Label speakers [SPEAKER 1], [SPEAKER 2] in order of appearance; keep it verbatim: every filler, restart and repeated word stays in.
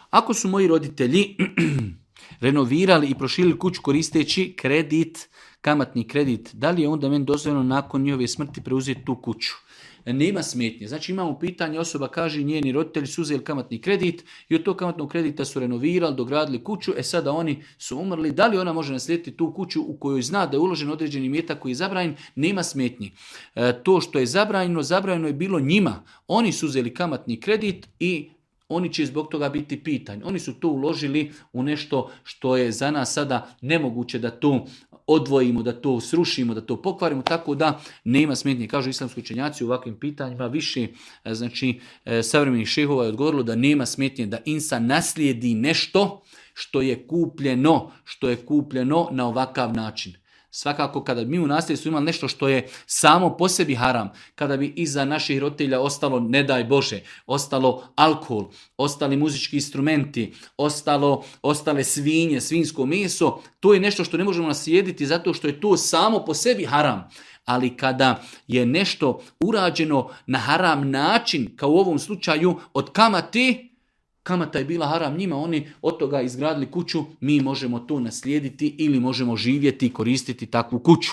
[SPEAKER 1] Ako su moji roditelji renovirali i proširili kuću koristeći kredit, kamatni kredit, da li je onda meni dozvoljeno nakon njihove smrti preuzeti tu kuću? Nema smetnje. Znači imamo pitanje, osoba kaže njeni roditelji su uzeli kamatni kredit i od tog kamatnog kredita su renovirali, dogradili kuću, e sada oni su umrli. Da li ona može naslijediti tu kuću u kojoj zna da je uložen određeni imetak koji je zabranjen? Nema smetnji. E, to što je zabranjeno, zabranjeno je bilo njima. Oni su uzeli kamatni kredit i oni će zbog toga biti pitani. Oni su to uložili u nešto što je za nas sada nemoguće da to odvojimo, da to srušimo, da to pokvarimo, tako da nema smetnje. Kažu islamski učenjaci u ovakvim pitanjima, više znači savremenih šehova je odgovorilo da nema smetnje da insan naslijedi nešto što je kupljeno, što je kupljeno na ovakav način. Svakako kada mi u nasljedstvu imali nešto što je samo po sebi haram, kada bi iza naših roditelja ostalo, ne daj Bože, ostalo alkohol, ostali muzički instrumenti, ostalo, ostale svinje, svinjsko meso, to je nešto što ne možemo naslijediti zato što je to samo po sebi haram. Ali kada je nešto urađeno na haram način, kao u ovom slučaju od kamate, kamata je bila haram njima, oni od toga izgradili kuću, mi možemo to naslijediti ili možemo živjeti i koristiti takvu kuću.